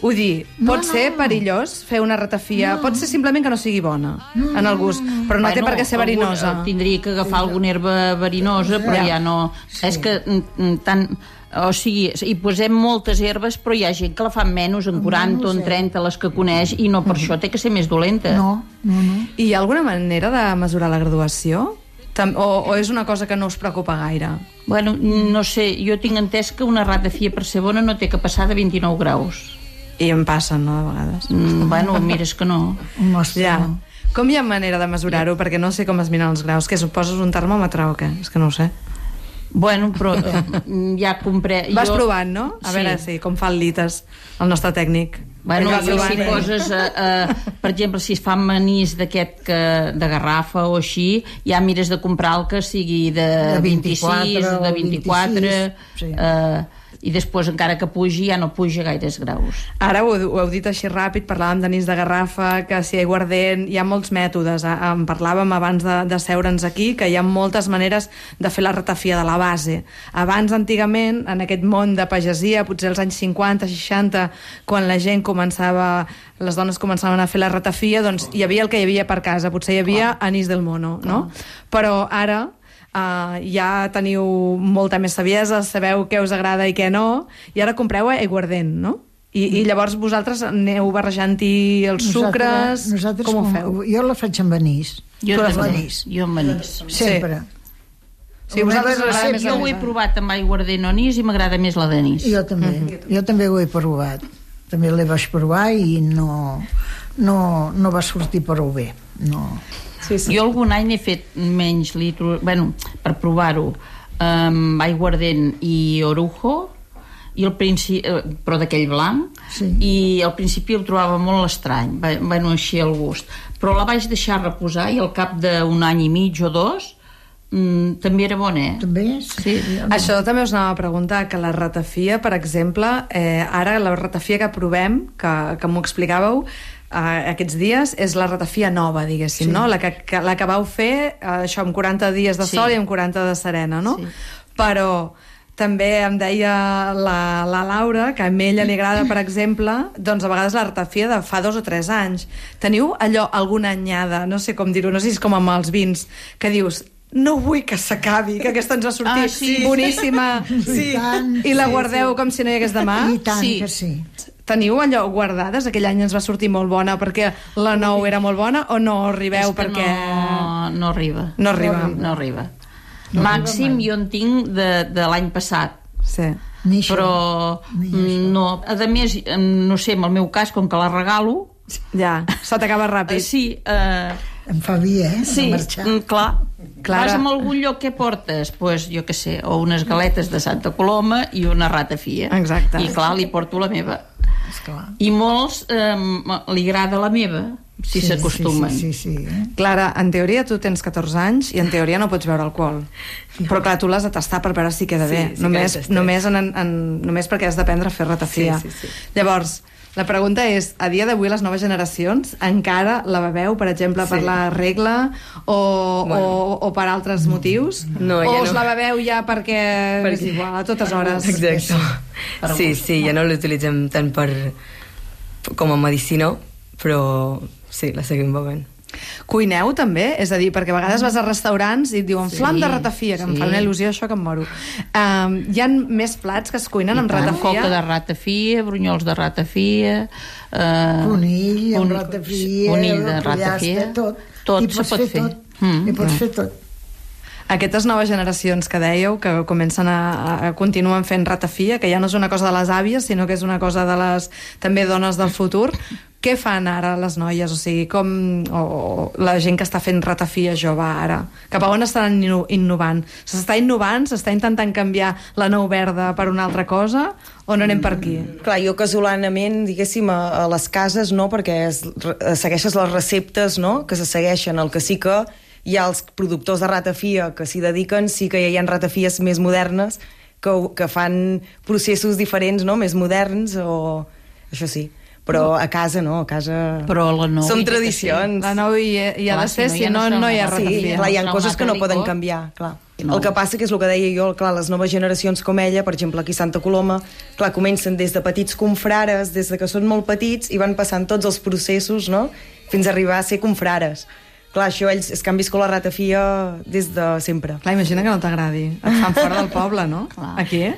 Vull dir, No, pot no, ser no. perillós fer una ratafia, No. pot ser simplement que no sigui bona en el gust, però no té per què ser verinosa. Algun, tindria que agafar alguna herba verinosa, però Ja. ja no... Sí. És que mm, tant... O sigui, hi posem moltes herbes, però hi ha gent que la fa menys, en quaranta o en trenta, les que coneix, i no per això té que ser més dolenta. No, no, no. I hi ha alguna manera de mesurar la graduació? Tam- O, o és una cosa que no us preocupa gaire? Bueno, no sé, jo tinc entès que una ratafia per ser bona no té que passar de vint-i-nou graus. I em passen, no, de vegades. Mm, bueno, mira, és que no. Ja. Com hi ha manera de mesurar-ho? Perquè no sé com es miren els graus. Que poses un termòmetre o què? És que no ho sé. Bueno, però eh, ja compré... Vas jo... provant, no? A Sí. veure, sí, com fa el lites, el nostre tècnic. Bueno, Vas jo provant, si eh? poses, eh, eh, per exemple, si es fa manís d'aquest que de garrafa o així, ja mires de comprar el que sigui de, De vint-i-sis, vint-i-quatre de o vint-i-quatre, vint-i-sis, sí. eh, i després, encara que pugi, ja no puja gaires graus. Ara ho, ho heu dit així ràpid, parlàvem d'anís de garrafa, que si aiguardent, hi ha molts mètodes. Eh, En parlàvem abans de, de seure'ns aquí, que hi ha moltes maneres de fer la ratafia de la base. Abans, antigament, en aquest món de pagesia, potser als anys cinquanta, seixanta, quan la gent començava, les dones començaven a fer la ratafia, doncs hi havia el que hi havia per casa, potser hi havia anís del mono, no? Però ara... Uh, ja teniu molta més saviesa, sabeu què us agrada i què no, i ara compreu aiguardent, no? I, i llavors vosaltres aneu barrejant-hi els sucres... nosaltres com ho com- feu? Jo la faig amb anís. Jo Tu la també, anís. jo amb anís. Sempre. Sí, a vosaltres us agrada més Jo ho he provat amb aiguardent o anís i m'agrada més la d'anís. Jo també. Mm-hmm. Jo també ho he provat. També l'he vaig provar i no, no, no va sortir prou bé. No. Sí, sí. Jo algun any he fet menys litros, bueno, per provar-ho, amb aiguardent i orujo, i al principi, però d'aquell blanc, Sí. i al principi el trobava molt estrany, va- bueno, així el gust, però la vaig deixar reposar i al cap d'un any i mig o dos mm, també era bona, eh? També? Sí. Això també us anava a preguntar, que la ratafia, per exemple, eh, ara la ratafia que provem, que, que m'ho explicàveu, Uh, aquests dies, és la ratafia nova, diguéssim, Sí. no? La que, que, la que vau fer, uh, això, amb quaranta dies de Sí. sol i amb quaranta de serena, no? Sí. Però també em deia la, la Laura que a ella li agrada, per exemple, doncs a vegades la ratafia de fa dos o tres anys. Teniu allò, alguna anyada, no sé com dir-ho, no sé si és com amb els vins, que dius, no vull que s'acabi, que aquesta ens ha sortit Ah, sí. boníssima, sí. I tant, i la sí, guardeu sí. com si no hi hagués demà. I tant Sí. que sí. Teniu allò guardades? Aquell any ens va sortir molt bona perquè la nou era molt bona, o no arribeu És que perquè... no, no arriba. No arriba. No arriba. Màxim jo en tinc de, de l'any passat. Sí. Ni això. Però Ni mm, no. A més, mm, no sé, en el meu cas, com que la regalo, Ja, se t'acaba eh, ràpid. sí, eh, Em fa bé, eh? sí, De marxar. mm, clar. Clara. Vas a algun lloc, què portes? Pues, jo què sé, o unes galetes de Santa Coloma i una ratafia. Exacte. I clar, li porto la meva. Esclar. I molts eh, li agrada la meva, si Sí, s'acostumen. Sí, sí, sí, sí, eh? Clara, en teoria tu tens catorze anys i en teoria no pots beure alcohol. Però clar, tu l'has de tastar per veure si queda Sí, bé. sí que només, l'he tastat. només, en, en, només perquè has d'aprendre a fer ratafia. Sí, sí, sí. Llavors, la pregunta és, a dia d'avui les noves generacions encara la beveu, per exemple, per Sí. la regla o, Bueno. o, o per altres motius? No, ja o us no. la beveu ja perquè, Perquè- és igual, a totes hores? Exacte. Sí, sí, ja no l'utilitzem tant per com a medicina, però sí, la seguim bevent. Cuineu també? És a dir, perquè a vegades vas a restaurants i et diuen Sí, flam de ratafia, que em sí. fa una il·lusió això que em moro. Um, hi ha més plats que es cuinen amb ratafia? Coca de ratafia, brunyols de ratafia... Eh, Conill, amb con- ratafia, conill de pollastre, ratafia... tot. Tot I se pots pot fer fer. tot. Mm. I pots fer tot. Aquestes noves generacions que dèieu, que comencen a, a continuen fent ratafia, que ja no és una cosa de les àvies, sinó que és una cosa de les també dones del futur, què fan ara les noies? O sigui, com o, o la gent que està fent ratafia jove ara? Cap a on estan inno- innovant? S'està innovant? S'està intentant canviar la nou verda per una altra cosa? O no anem per aquí? Clar, jo casolanament, diguéssim, a, a les cases, no?, perquè es, re, segueixes les receptes, no?, que se segueixen. El que sí que hi ha els productors de ratafia que s'hi dediquen, sí que hi ha ratafies més modernes que, que fan processos diferents, no?, més moderns, o... això sí. Però a casa no, a casa... Però la nou... Són tradicions. La nou hi, hi ha de ser, si no, no hi ha ratafia. Sí, clar, hi ha coses que no poden canviar, clar. No. El que passa que és el que deia jo, clar, les noves generacions com ella, per exemple, aquí a Santa Coloma, clar, comencen des de petits confrares, des de que són molt petits, i van passant tots els processos, no?, fins a arribar a ser confrares. Clar, això ells és que han viscut la ratafia des de sempre. Clar, imagina que no t'agradi. Et fan fora del poble, no? Clar. Aquí, eh?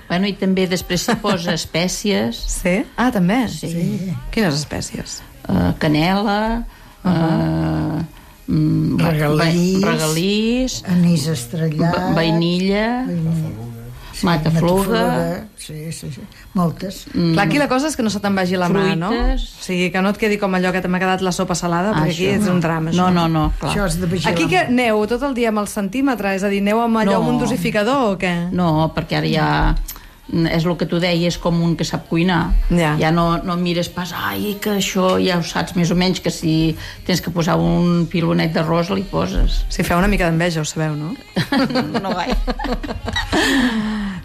Bueno, i també després s'hi posa espècies. Sí? Ah, també? Sí. sí. Quines espècies? Uh, canela, uh -huh. uh, mm, Regalís, regalís, anís estrellat, va vainilla, sí, matafluga. Sí, sí, sí, moltes. Mm. Clar, aquí la cosa és que no se te'n vagi la mà, no? O sigui, que no et quedi com allò que t'ha quedat la sopa salada, Ah, perquè aquí això. és un drama. No, això. no, no, clar. Això has de vigilar. Aquí que aneu tot el dia amb el centímetre, és a dir, aneu amb allò No. amb un dosificador o què? No, perquè ara ja... és el que tu deies, com un que sap cuinar. Ja. Ja no, no mires pas, ai, que això ja ho saps més o menys, que si tens que posar un pilonet d'arròs li poses. Si feu una mica d'enveja, ho sabeu, no? No gaire.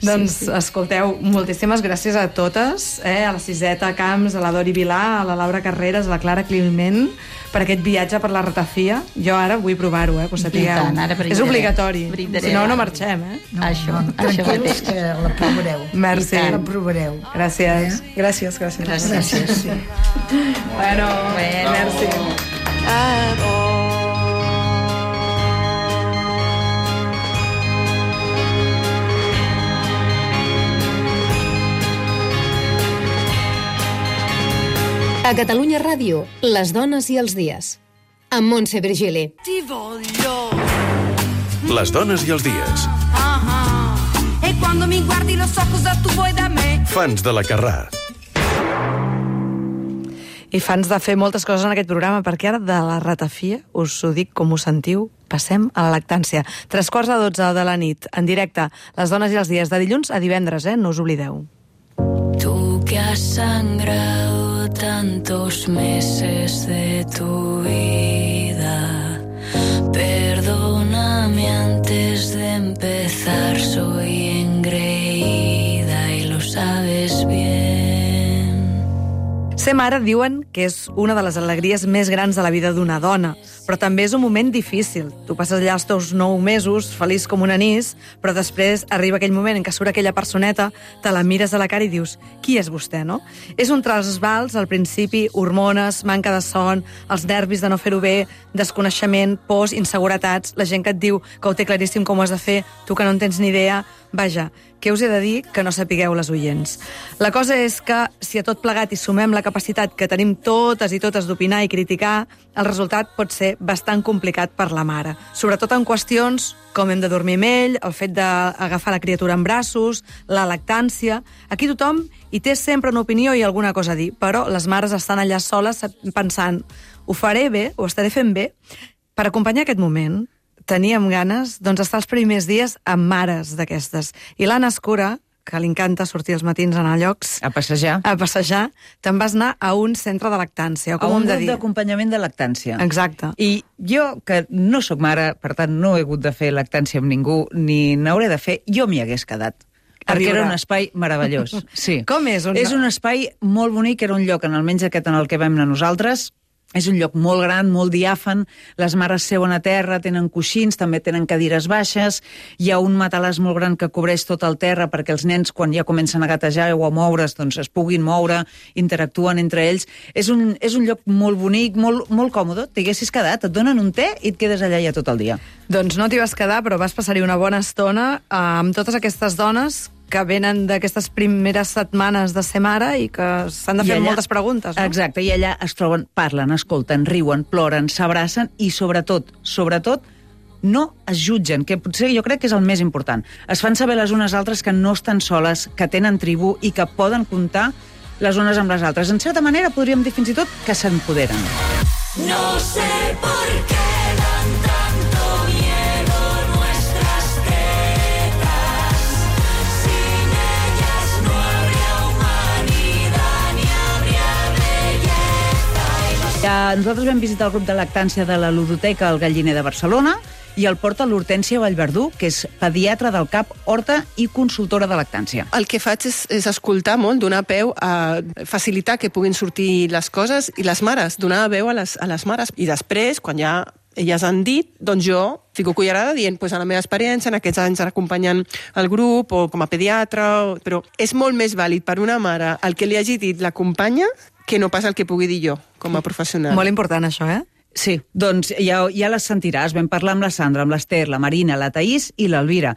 Doncs, sí, sí. Escolteu, moltíssimes gràcies a totes, eh? A la Siseta Camps, a la Dori Vilà, a la Laura Carreras, a la Clara Climent, per aquest viatge per la ratafia. Jo ara vull provar-ho, eh? Que ho sapigueu. I tant, ara és brindaré. obligatori. Brindaré. Si no, no marxem, eh? No, Això, no, això tranquils, mateix. que la provareu. Merci. La provareu. Gràcies. Eh? Gràcies, gràcies. Gràcies. Gràcies, sí. Bueno, Bueno. merci. A Catalunya Ràdio, les dones i els dies. Amb Montse Virgili. Ti voglio. Les dones i els dies. Ah, ah. E quando mi guardi lo so cosa tu vuoi da me. Fans de la Carrà. I fans de fer moltes coses en aquest programa, perquè ara de la ratafia, us ho dic com ho sentiu, passem a la lactància. Tres quarts de dotze de la nit, en directe, les dones i els dies, de dilluns a divendres, eh? No us oblideu. Tú que has sangrado tantos meses de tu vida, perdóname antes de empezar, soy engreída y lo sabes bien. Ser mare diuen que és una de les alegries més grans de la vida d'una dona, però també és un moment difícil. Tu passes allà els teus nou mesos, feliç com un anís, però després arriba aquell moment en què surt aquella personeta, te la mires a la cara i dius, qui és vostè, no? És un trasbals, al principi, hormones, manca de son, els nervis de no fer-ho bé, desconeixement, pors, inseguretats, la gent que et diu que ho té claríssim com ho has de fer, tu que no en tens ni idea. Vaja, què us he de dir que no sapigueu les oients? La cosa és que, si a tot plegat hi sumem la capacitat que tenim totes i totes d'opinar i criticar, el resultat pot ser bastant complicat per la mare. Sobretot en qüestions com hem de dormir amb ell, el fet d'agafar la criatura en braços, la lactància... Aquí tothom hi té sempre una opinió i alguna cosa a dir, però les mares estan allà soles pensant, ho faré bé, ho estaré fent bé. Per acompanyar aquest moment, teníem ganes doncs, d'estar els primers dies amb mares d'aquestes. I l'Anna Escura, que li encanta sortir els matins a anar a llocs... A passejar. A passejar. Te'n vas anar a un centre de lactància, o com a un hem de grup dir? d'acompanyament de lactància. Exacte. I jo, que no sóc mare, per tant no he hagut de fer lactància amb ningú, ni n'hauré de fer, jo m'hi hagués quedat. A Perquè viure. era un espai meravellós. Sí. Com és? Un... És un espai molt bonic, era un lloc, en almenys aquest en el que vam anar nosaltres. És un lloc molt gran, molt diàfan, les mares seuen a terra, tenen coixins, també tenen cadires baixes, hi ha un matalàs molt gran que cobreix tot el terra perquè els nens, quan ja comencen a gatejar o a moure's, doncs es puguin moure, interactuen entre ells. És un, és un lloc molt bonic, molt, molt còmode, t'haguessis quedat, et donen un te i et quedes allà ja tot el dia. Doncs no t'hi vas quedar, però vas passar-hi una bona estona eh, amb totes aquestes dones que venen d'aquestes primeres setmanes de ser mare i que s'han de I fer allà- moltes preguntes, no? Exacte, i allà es troben, parlen, escolten, riuen, ploren, s'abracen i sobretot, sobretot, no es jutgen, que potser jo crec que és el més important. Es fan saber les unes altres que no estan soles, que tenen tribu i que poden comptar les unes amb les altres. En certa manera podríem dir fins i tot que s'empoderen. No sé por qué dan tanto miedo nuestras tetas. Sin ellas no habría humanidad ni habría belleza. Ja, nosaltres vam visitar el grup de lactància de la ludoteca El Galliner de Barcelona i el porta l'Hortènsia Vallverdú, que és pediatra del CAP Horta i consultora de lactància. El que faig és, és escoltar molt, donar peu a facilitar que puguin sortir les coses i les mares, donar veu a les, a les mares. I després, quan ja elles han dit, doncs jo fico cullerada dient pues, a la meva experiència, en aquests anys acompanyant el grup o com a pediatra, o... però és molt més vàlid per una mare el que li hagi dit la companya que no pas el que pugui dir jo com a professional. Molt important això, eh? Sí, doncs ja, ja les sentiràs. Vam parlar amb la Sandra, amb l'Ester, la Marina, la Taís i l'Elvira.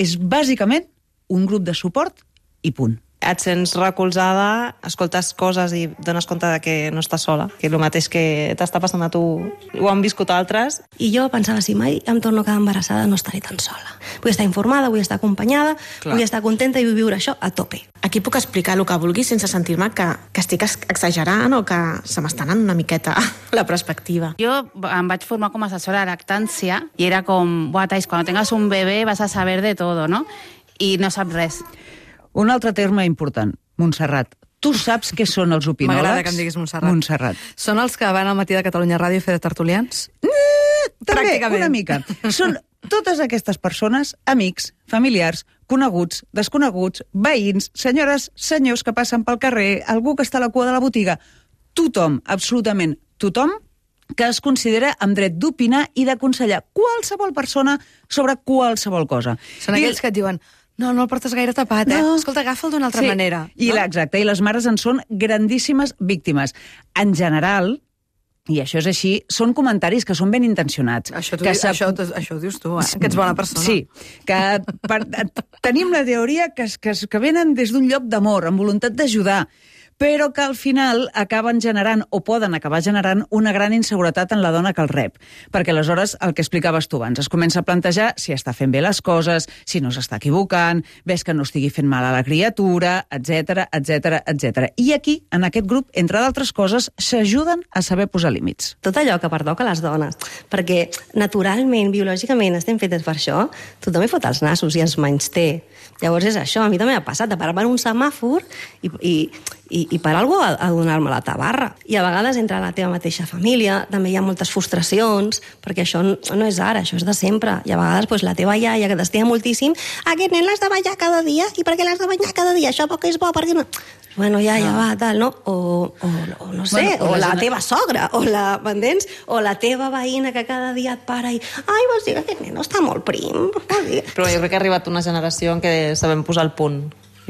És bàsicament un grup de suport i punt. Et sents recolzada, escoltes coses i dones compte de que no estàs sola, que el mateix que t'està passant a tu ho han viscut altres. I jo pensava, si mai em torno a quedar embarassada no estaré tan sola. Vull estar informada, vull estar acompanyada, Clar. vull estar contenta i vull viure això a tope. Aquí puc explicar el que vulgui sense sentir-me que, que estic exagerant o que se m'està anant una miqueta la perspectiva. Jo em vaig formar com a assessora de lactància i era com, buah, Tais, quan tengas un bebé vas a saber de todo, ¿no? I no saps res. Un altre terme important, Montserrat. Tu saps què són els opinòlegs? M'agrada que em diguis Montserrat. Montserrat. Són els que van al matí de Catalunya Ràdio a fer de tertulians? Mm, també, una mica. Són totes aquestes persones, amics, familiars, coneguts, desconeguts, veïns, senyores, senyors que passen pel carrer, algú que està a la cua de la botiga. Tothom, absolutament tothom, que es considera amb dret d'opinar i d'aconsellar qualsevol persona sobre qualsevol cosa. Són aquells que et diuen... No, no el portes gaire tapat, eh? No. Escolta, agafa'l d'una altra sí. manera. I no? Exacte, i les mares en són grandíssimes víctimes. En general, i això és així, són comentaris que són ben intencionats. Això, tu, això, això ho dius tu, eh? Que ets bona persona. Sí, que per, tenim la teoria que, que, que venen des d'un lloc d'amor, amb voluntat d'ajudar, però que al final acaben generant, o poden acabar generant, una gran inseguretat en la dona que el rep. Perquè aleshores, el que explicaves tu abans, es comença a plantejar si està fent bé les coses, si no s'està equivocant, ves que no estigui fent mal a la criatura, etcètera, etcètera, etcètera. I aquí, en aquest grup, entre d'altres coses, s'ajuden a saber posar límits. Tot allò que pertoca a les dones, perquè naturalment, biològicament, estem fetes per això, tothom hi fot els nassos i ens menysté. Llavors és això, a mi també m'ha passat de parar per un semàfor i, i, i, i per algú a, a donar-me la tabarra. I a vegades entre la teva mateixa família també hi ha moltes frustracions, perquè això no, no és ara, això és de sempre. I a vegades pues, la teva iaia, que t'estima moltíssim, aquest nen l'has de banyar cada dia, i per què l'has de banyar cada dia? Això poc és bo, perquè no... Bueno, ja, ja va, tal, no? O, o, o no sé, bueno, o, o la gent... teva sogra, o la, m'entens? O la teva veïna que cada dia et para i... Ai, vols dir que aquest nen està molt prim. Però jo crec que ha arribat una generació en què sabem posar el punt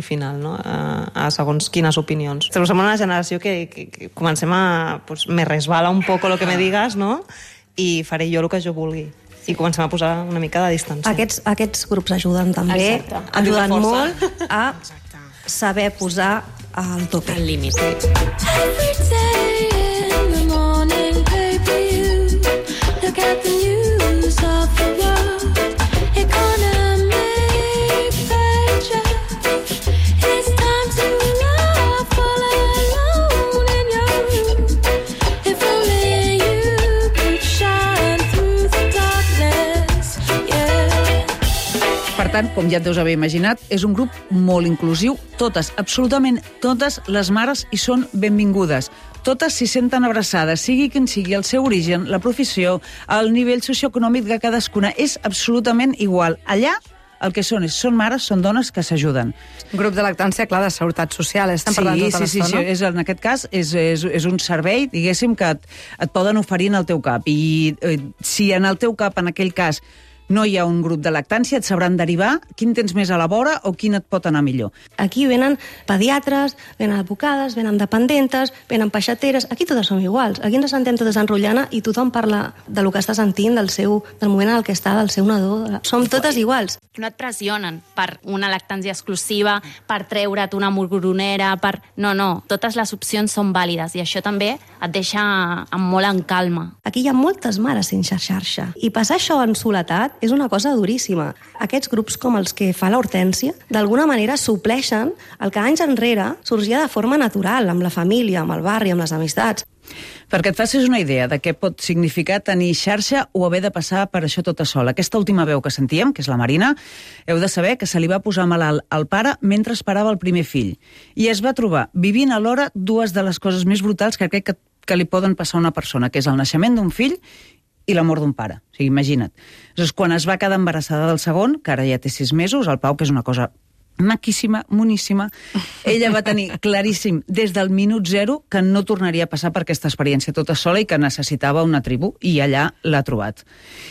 i final, no? A, a segons quines opinions. Som una generació que, que, que comencem a... Pues, me resbala un poco lo que me digas, no? I faré jo el que jo vulgui. I comencem a posar una mica de distància. Aquests, aquests grups ajuden també, Exacte. ajuden molt a saber posar al tope. Al límit. Every day in the morning, baby, you look at the news of the world. Economic pressure. It's time to laugh all alone in your room. If only you could shine through the darkness, yeah. Per tant, com ja et deus haver imaginat, és un grup molt inclusiu. Totes, absolutament totes les mares hi són benvingudes. Totes s'hi senten abraçades, sigui quin sigui el seu origen, la professió, el nivell socioeconòmic de cadascuna. És absolutament igual. Allà el que són és, són mares, són dones que s'ajuden. Un grup de lactància, clar, de seguretat social, estem sí, parlant tota sí, sí, l'estona. Sí, és, en aquest cas és, és, és un servei, diguéssim, que et, et poden oferir en el teu cap. I eh, si en el teu cap, en aquell cas, no hi ha un grup de lactància, et sabran derivar quin tens més a la vora o quin et pot anar millor. Aquí venen pediatres, venen advocades, venen dependentes, venen peixateres, aquí totes som iguals. Aquí ens sentem totes enrotllant i tothom parla de lo que està sentint, del, seu, del moment en el que està, del seu nadó. Som totes iguals. No et pressionen per una lactància exclusiva, per treure't una morgronera, per... No, no, totes les opcions són vàlides i això també et deixa amb molt en calma. Aquí hi ha moltes mares sense xarxa i passar això en soledat és una cosa duríssima. Aquests grups com els que fa l'Hortènsia, d'alguna manera supleixen el que anys enrere sorgia de forma natural, amb la família, amb el barri, amb les amistats. Perquè et facis una idea de què pot significar tenir xarxa o haver de passar per això tota sola. Aquesta última veu que sentíem, que és la Marina, heu de saber que se li va posar malalt al pare mentre esperava el primer fill. I es va trobar vivint alhora dues de les coses més brutals que crec que, que li poden passar a una persona, que és el naixement d'un fill i la mort d'un pare. O sigui, imagina't. Llavors, quan es va quedar embarassada del segon, que ara ja té sis mesos, el Pau, que és una cosa maquíssima, moníssima, ella va tenir claríssim des del minut zero que no tornaria a passar per aquesta experiència tota sola i que necessitava una tribu, i allà l'ha trobat.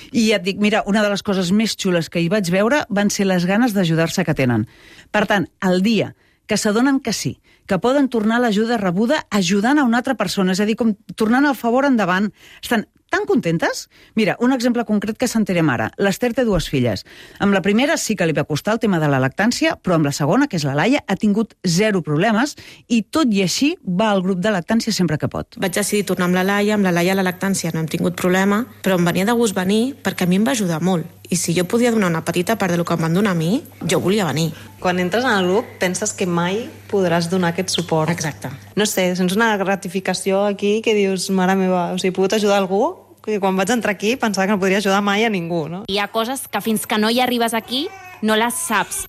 I ja et dic, mira, una de les coses més xules que hi vaig veure van ser les ganes d'ajudar-se que tenen. Per tant, el dia que s'adonen que sí, que poden tornar l'ajuda rebuda ajudant a una altra persona, és a dir, com tornant el favor endavant, estan tan contentes? Mira, un exemple concret que s'enterem ara. L'Ester té dues filles. Amb la primera sí que li va costar el tema de la lactància, però amb la segona, que és la Laia, ha tingut zero problemes i tot i així va al grup de lactància sempre que pot. Vaig decidir tornar amb la Laia, amb la Laia a la lactància no hem tingut problema, però em venia de gust venir perquè a mi em va ajudar molt. I si jo podia donar una petita part del que em van donar a mi, jo volia venir. Quan entres en el grup penses que mai podràs donar aquest suport. Exacte. No sé, sents una gratificació aquí que dius, mare meva, o sigui, he pogut ajudar algú que quan vaig entrar aquí pensava que no podria ajudar mai a ningú, no? Hi ha coses que fins que no hi arribes aquí no les saps.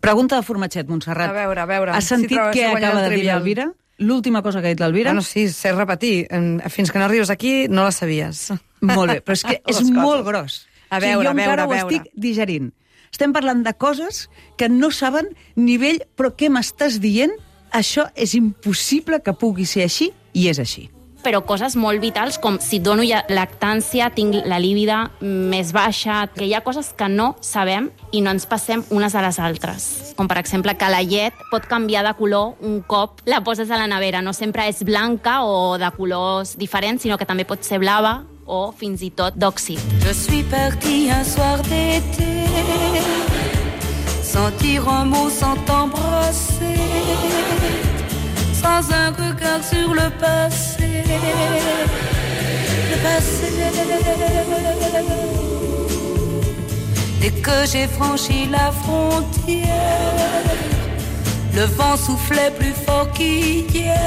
Pregunta de formatget, Montserrat. A veure, a veure. Has sentit si què acaba de dir l'Elvira? L'última cosa que ha dit l'Elvira? Bueno, sí, sé repetir. Fins que no arribes aquí no la sabies. Molt bé, però és que és molt gros. A veure, o sigui, jo a veure, encara a veure. ho estic digerint. Estem parlant de coses que no saben nivell, però què m'estàs dient? Això és impossible que pugui ser així, i és així. Però coses molt vitals, com si dono ja lactància, tinc la líbida més baixa, que hi ha coses que no sabem i no ens passem unes a les altres. Com, per exemple, que la llet pot canviar de color un cop la poses a la nevera. No sempre és blanca o de colors diferents, sinó que també pot ser blava o fins i tot d'òxid. Je suis partie un soir d'été, sans dire un mot, sans t'embrasser, sans un regard sur le passé, le passé. Dès que j'ai franchi la frontière, le vent soufflait plus fort qu'hier.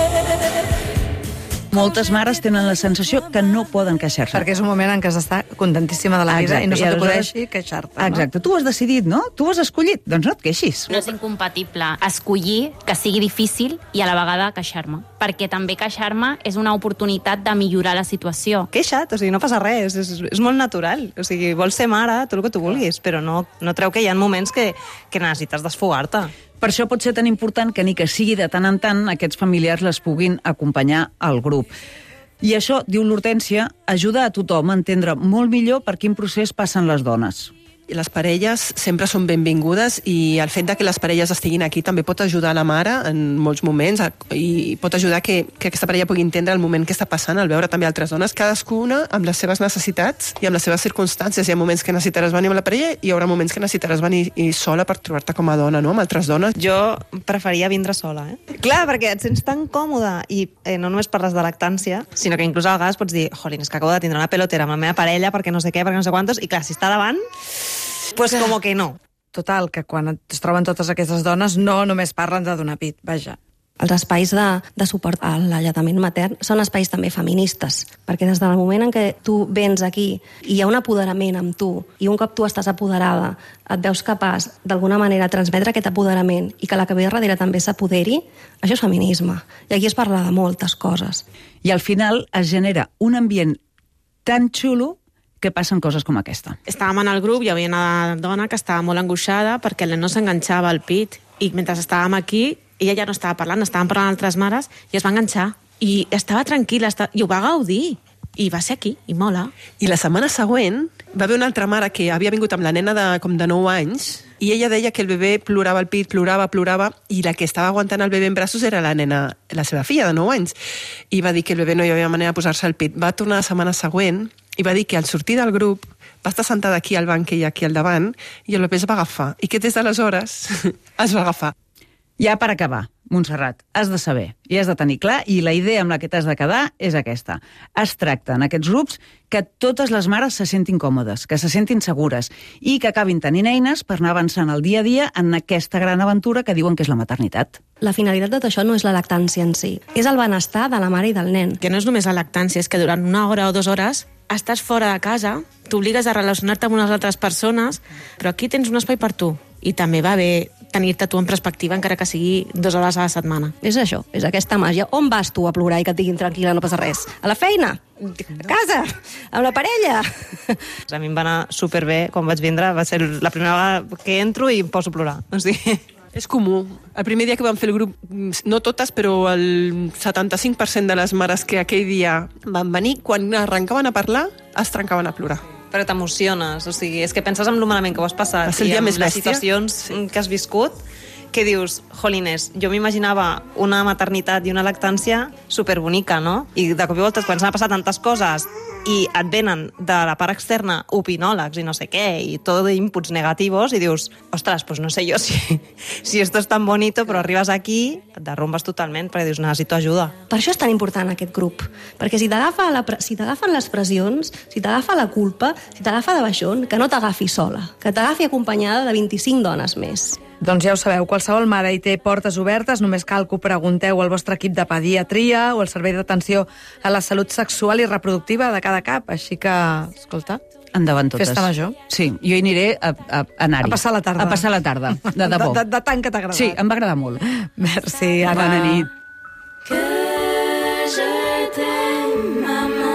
Moltes mares tenen la sensació que no poden queixar-se. Perquè és un moment en què s'està contentíssima de la vida i no se t'acudeixi queixar-te. No? Exacte, tu has decidit, no? Tu has escollit, doncs no et queixis. No és incompatible escollir que sigui difícil i a la vegada queixar-me. Perquè també queixar-me és una oportunitat de millorar la situació. Queixa't, o sigui, no passa res, és, és molt natural. O sigui, vols ser mare, tot el que tu vulguis, però no, no treu que hi ha moments que, que necessites desfogar-te. Per això pot ser tan important que ni que sigui de tant en tant aquests familiars les puguin acompanyar al grup. I això, diu l'Hortènsia, ajuda a tothom a entendre molt millor per quin procés passen les dones. I les parelles sempre són benvingudes i el fet de que les parelles estiguin aquí també pot ajudar la mare en molts moments i pot ajudar que, que aquesta parella pugui entendre el moment que està passant al veure també altres dones, cadascuna amb les seves necessitats i amb les seves circumstàncies. Hi ha moments que necessitaràs venir amb la parella i hi haurà moments que necessitaràs venir sola per trobar-te com a dona, no? Amb altres dones. Jo preferia vindre sola, eh? Clar, perquè et sents tan còmoda i eh, no només parles de lactància, sinó que inclús a vegades pots dir, jolín, és que acabo de tindre una pelotera amb la meva parella perquè no sé què, perquè no sé quantos, i clar, si està davant, pues como que no. Total, que quan es troben totes aquestes dones no només parlen de donar pit, vaja. Els espais de, de suport a l'alletament matern són espais també feministes, perquè des del moment en què tu vens aquí i hi ha un apoderament amb tu, i un cop tu estàs apoderada, et veus capaç d'alguna manera transmetre aquest apoderament i que la que ve darrere també s'apoderi, això és feminisme. I aquí es parla de moltes coses. I al final es genera un ambient tan xulo que passen coses com aquesta. Estàvem en el grup i hi havia una dona que estava molt angoixada perquè el nen no s'enganxava al pit i mentre estàvem aquí ella ja no estava parlant, estàvem parlant altres mares i es va enganxar i estava tranquil·la estava... i ho va gaudir. I va ser aquí, i mola. I la setmana següent va haver una altra mare que havia vingut amb la nena de, com de nou anys i ella deia que el bebè plorava al pit, plorava, plorava, i la que estava aguantant el bebè en braços era la nena, la seva filla de nou anys. I va dir que el bebè no hi havia manera de posar-se al pit. Va tornar la setmana següent i va dir que al sortir del grup va estar sentada aquí al banc que hi ha aquí al davant i el bebè es va agafar. I que des d'aleshores es va agafar. Ja per acabar, Montserrat, has de saber i has de tenir clar, i la idea amb la que t'has de quedar és aquesta. Es tracta en aquests grups que totes les mares se sentin còmodes, que se sentin segures i que acabin tenint eines per anar avançant el dia a dia en aquesta gran aventura que diuen que és la maternitat. La finalitat de tot això no és la lactància en si, és el benestar de la mare i del nen. Que no és només la lactància, és que durant una hora o dues hores estàs fora de casa, t'obligues a relacionar-te amb unes altres persones, però aquí tens un espai per tu. I també va bé tenir-te tu en perspectiva, encara que sigui dues hores a la setmana. És això, és aquesta màgia. On vas tu a plorar i que et diguin tranquil·la, no passa res? A la feina? A casa? Amb la parella? A mi em va anar superbé quan vaig vindre, va ser la primera vegada que entro i em poso a plorar. O sigui... És comú. El primer dia que vam fer el grup, no totes, però el setanta-cinc per cent de les mares que aquell dia van venir, quan arrencaven a parlar, es trencaven a plorar. Però t'emociones, o sigui, és que penses en lo malament que ho has passat i en les bèstia? Situacions sí. que has viscut, que dius, jolines, jo m'imaginava una maternitat i una lactància superbonica, no? I de cop i volta, quan s'han passat tantes coses i et venen de la part externa opinòlegs i no sé què, i tot d'inputs negativos, i dius, ostres, pues no sé jo si, si esto es tan bonito, però arribes aquí, et derrumbes totalment, perquè dius, necessito ajuda. Per això és tan important aquest grup, perquè si t'agafa la, si t'agafen les pressions, si t'agafa la culpa, si t'agafa de baixón, que no t'agafi sola, que t'agafi acompanyada de vint-i-cinc dones més. Doncs ja ho sabeu, qualsevol mare hi té portes obertes, només cal que ho pregunteu al vostre equip de pediatria o al servei d'atenció a la salut sexual i reproductiva de cada cap, així que, escolta, endavant totes. Festa major. Sí, jo hi aniré a, a, a anar-hi. A passar la tarda. A passar la tarda, de debò. De, de, de tant que t'ha agradat. Sí, em va agradar molt. Merci, Anna. Bona nit. Que je t'aime, maman.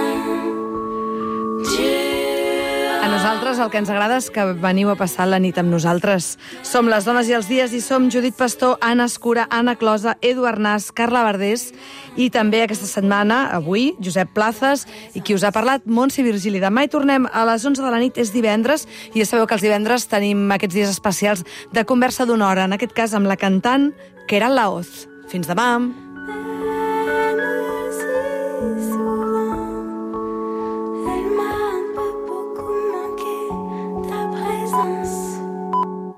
A nosaltres el que ens agrada és que veniu a passar la nit amb nosaltres. Som les Dones i els Dies i som Judit Pastor, Anna Escura, Anna Closa, Edu Arnàs, Carla Verdés i també aquesta setmana, avui, Josep Plazas i qui us ha parlat, Montse Virgili. Demà hi tornem a les onze de la nit, és divendres, i ja sabeu que els divendres tenim aquests dies especials de conversa d'una hora, en aquest cas amb la cantant Keral Laoz. Fins demà!